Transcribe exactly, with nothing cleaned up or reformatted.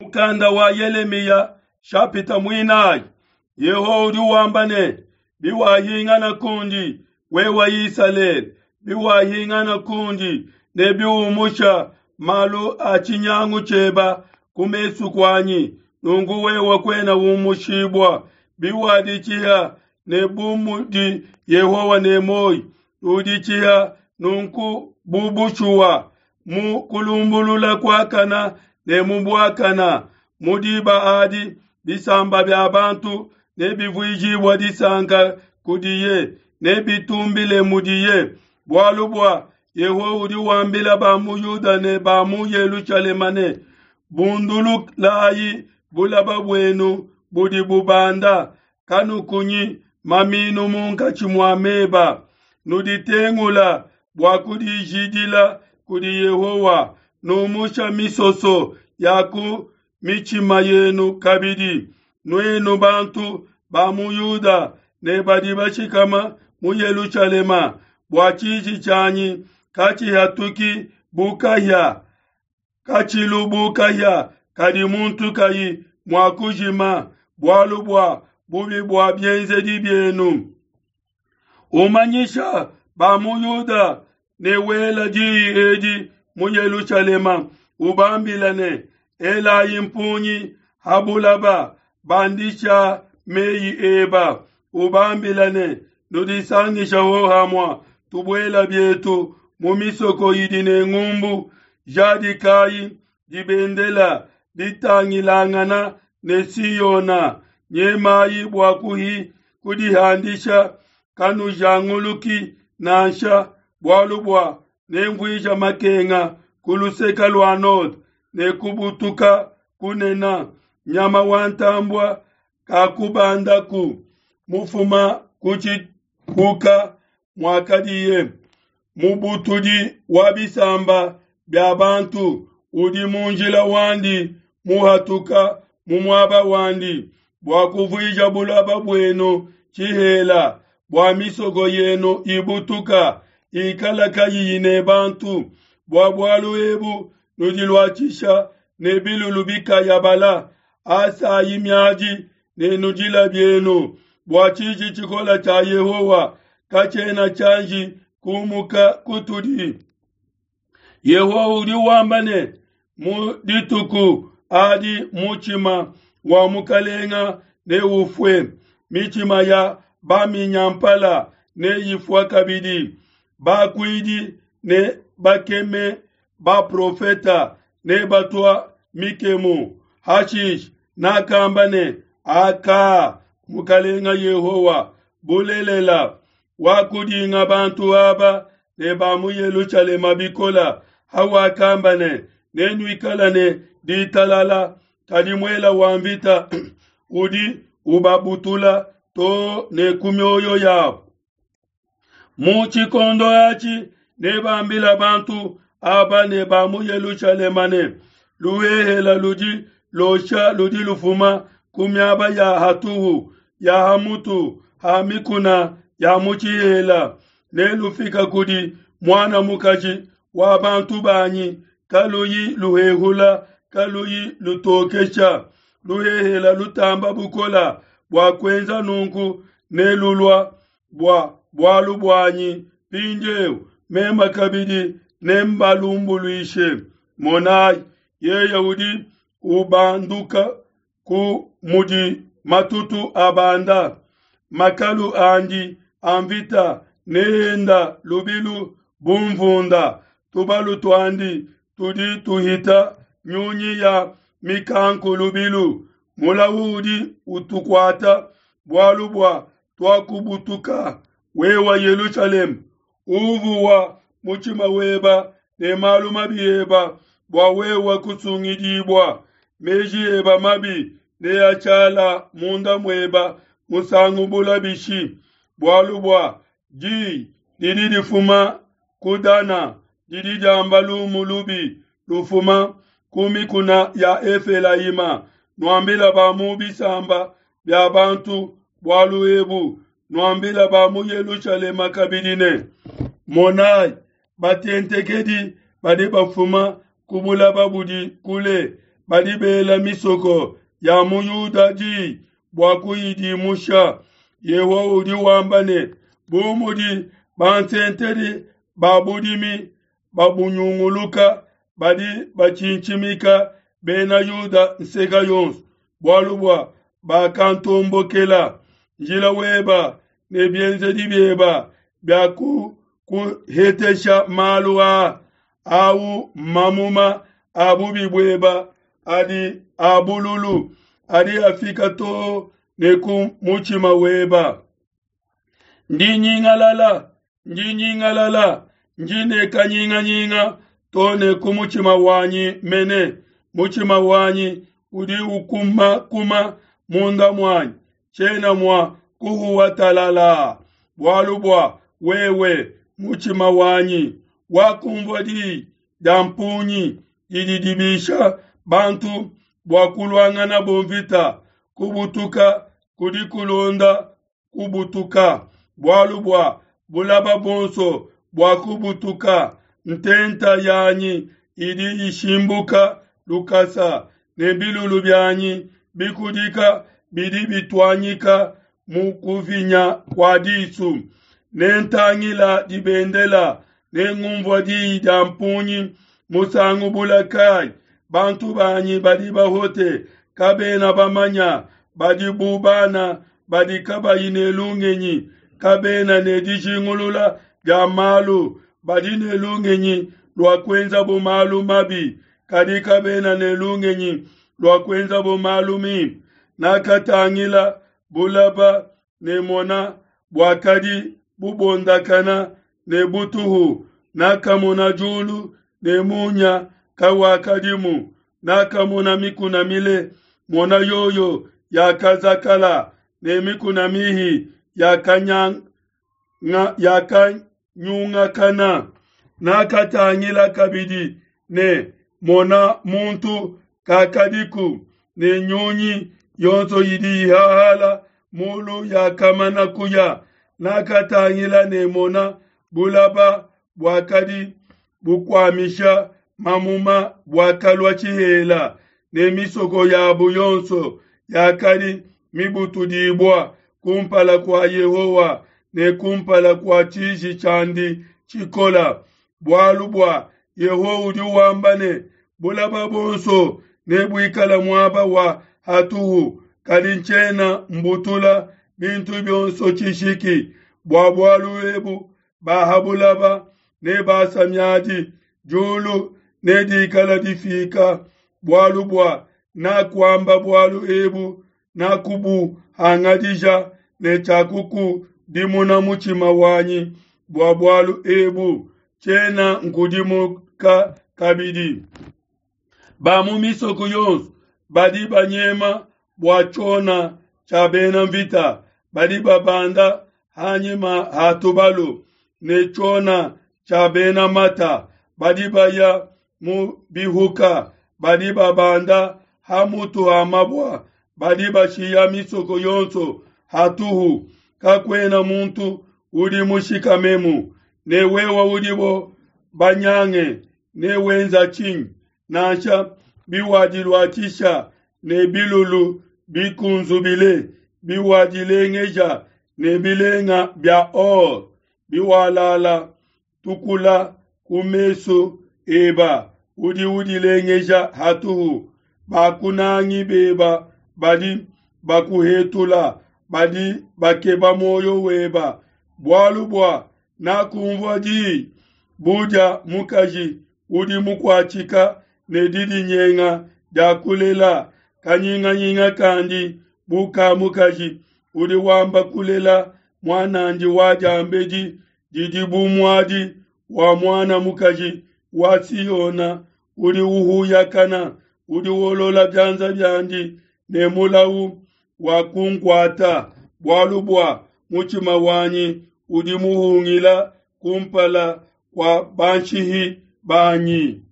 Mukanda wa Yelemiya shapita muinayi. Yehowa udi wamba ne, biwahingana kundi, wewe Isalele, biwahingana kundi ne biumusha malu a tshinyangu tshieba ku mesu kuanyi, nunku wewe kuena umushibua. Biwaditshiha ne bu mudi Yehowa ne muoyo, uditshiha nunku bu bushuwa mu kulumbulula kuakana ne mu buakana. Mu diba adi bisamba bia bantu nebivuijibua disanka kudiye, nebitumbile mudiye. Bualu bua Yehowa udi wambila ba mu Yuda ne ba mu Yelushalema ne, bundululayi bulaba buenu budi bubanda, kanukunyi maminu munkatshi mua meba. Nuditengula bua kudijidila kudi Yehowa, numusha misoso ya ku mitshima yenu kabidi. Nuenu bantu ba mu Yuda ne badi bashikama mu Yelushalema, bua tshiji tshianyi katshihatuki bu kahia, katshilu bu kahia kadi muntu kayi mua kujima, bualu bua bubi bua bienzedi bienu. Umanyisha ba mu Yuda ne wela diyi edi mu Yelushalema, ubambila ne, elayi mpungi ha bulaba, bandisha meyi eba, ubambila ne, nudisangisha hohamua, tubuela bietu mu misoko idi ne ngumbu, jadikayi dibendela ditangilangana ne Siona, nyemayi bua kuhi kudihandisha, kanujanguluki nansha, bualu bua nemvuija makenga ku luseke lua node ne kubutuka kunena. Nyama wa ntambua kakubandaku mufuma ku tshikuka muakadiye. Mubutudi wa bisamba bia bantu udi mu njila wandi muhatuka mu muaba wandi, bua kuvuija bulaba buenu tshihela, bua misoko yenu ibutuka ikala kayiyi ne bantu. Bua bualu ebu nudiluatshisha ne bilulu bikayabala, asayi miadi ne nudila bienu, bua tshiji tshikola tshia Yehowa katshiena tshianji kumuka kutudi. Yehowa udi wamba ne, mu dituku adi mutshima wa mukalenga neufue, mitshima ya baminyampala neyifua kabidi, bakuidi ne bakeme baprofeta ne batua mikemu. Hashishe nakamba ne, aka mukalenga Yehowa, bulelela wakudinga bantu aba ne ba mu Yelushalema bikola, hawakamba ne, nenuikala ne ditalala, kadi muela wa mvita udi ubabutula to ne ku mioyo yabo. Mu tshikondo atshi nebambila bantu aba ne ba mu Yelushalema ne, luhehela ludi losha ludi lufuma ku miaba ya hatuhu ya hamutu ha mikuna ya mu tshihela, nelufika kudi muana mukaji wa bantu banyi, kaluyi luhehula, kaluyi lutokesha. Luhehela lutamba bukola bua kuenza nunku nelulua bua bualu buanyi. Mpindieu mema kabidi nembalumbuluishe. Monayi, yeye udi ubanduka ku mudi matutu abanda, makalu andi a mvita neenda lubilu bu mvunda, tubalu tuandi tudi tuhita nyunyi ya mikanku lubilu. Mulawu udi utukuata bualu bua tuakubutuka. Wewe Yelushalema, uvuwa mutshima weba ne malu mabi eba, bua wewe kusungidibua. Meji eba mabi neashala munda mueba musangu bula bishi? Bualu bua diyi didi difuma ku Dana didi diamba lumu lubi lufuma ku mikuna ya Efelayima. Nuambila ba mu bisamba bia bantu bualu ebu, nuambila ba mu Yelushalema kabidi ne, monayi, batentekedi badi bafuma ku bulaba budi kule, badi bela misoko ya mu Yuda di bua kuyidimusha. Yehowa udi wamba ne, bu mudi bansentedi ba budimi babunyunguluka, badi batshintshimika bena Yuda nseka yonso, bualu bua bakantombokela. Njila weba ne bienzedi bieba bia kuhetesha malu aa, au mamuma a bubi bueba adi a bululu, adi afika too ne ku mutshima weba. Ndi nyingalala, ndi nyingalala, ndi ne kanyinganyinga too ne ku mutshima wanyi mene. Mutshima wanyi udi ukumakuma munda muanyi, tshiena mua kuhuwa talala. Bualu bua wewe, mutshima wanyi, wakumvua diyi dia mpungi didi dibisha bantu bua kuluanganabo mvita. Kubutuka kudi kulonda kubutuka, bualu bua bulaba buonso bua kubutuka. Ntenta yanyi idi ishimbuka lukasa, ne bilulu bianyi bikudika bidi bituanyika mu kuvinya kua disu. Nentangila dibendela, nengumvua diyi dia mpungi musangu bula kayi? Bantu banyi badi bahote, kabena bamanya, badi bu bana badi kabayi ne lungenyi, kabena ne dijingulula dia malu, badi ne lungenyi lua kuenzabo malu mabi, kadi kabena ne lungenyi lua kuenzabo malu mimpe. Nakatangila bulaba ne mona buakadi bubondakana ne butuhu, nakamona diulu ne munya kawakadimu, nakamona mikuna mile, mona yoyo yakazakala, ne mikuna mihi yakanyungakana. Nakatangila kabidi ne mona muntu kakadiku, ne nyunyi yonso idi ihahala mulu yakamana kuya. Nakatangila ne mona bulaba buakadi bukuamisha mamuma buakalua tshihela, ne misoko yabu yonso yakadi mibutudibua kumpala kua Yehowa ne kumpala kua tshiji tshiandi tshikola. Bualu bua Yehowa udi wamba ne, bulaba buonso nebuikale muaba wa hatuhu, kadi ntshiena mbutula bintu bionso tshishiki. Bua bualu ebu ba ha bulaba nebasa miadi, diulu nedikala difika, bualu bua nakuamba bualu ebu, nakubuhangadija ne tshiakukudimuna mutshima wanyi bua bualu ebu, tshiena nkudimuka kabidi. Ba mu misoko yonso badi banyema bua tshiona tshia bena mvita, badi babanda hanyima ha tubalu ne tshiona tshia bena mata, badi baya mu bihuka, badi babanda ha mutu ha mabua, badi bashiya misoko yonso hatuhu, kakuena muntu udi mushikamemu. Ne wewe udibo banyange ne wenza tshinyi? Nansha biwadiluatshisha ne bilulu bikunzubile, biwadilengeja ne bilenga bia or, biwalala tukula ku mesu eba, udi udilengeja hatuhu. Bakunangi beba badi bakuhetula, badi bakeba muoyo weba. Bualu bua nakumvua diyi bu dia mukaji udi mukuatshika ne didinyenga dia kulela, kanyinganyinga kandi bu ka mukaji udi wamba kulela muanandi wa diambedi, didi bu muadi wa muana mukaji wa Siona udi uhuyakana, udi wolola bianza biandi ne mulau wa kunkuata, bualu bua mutshima wanyi udi muhungila kumpala kua banshihi banyi.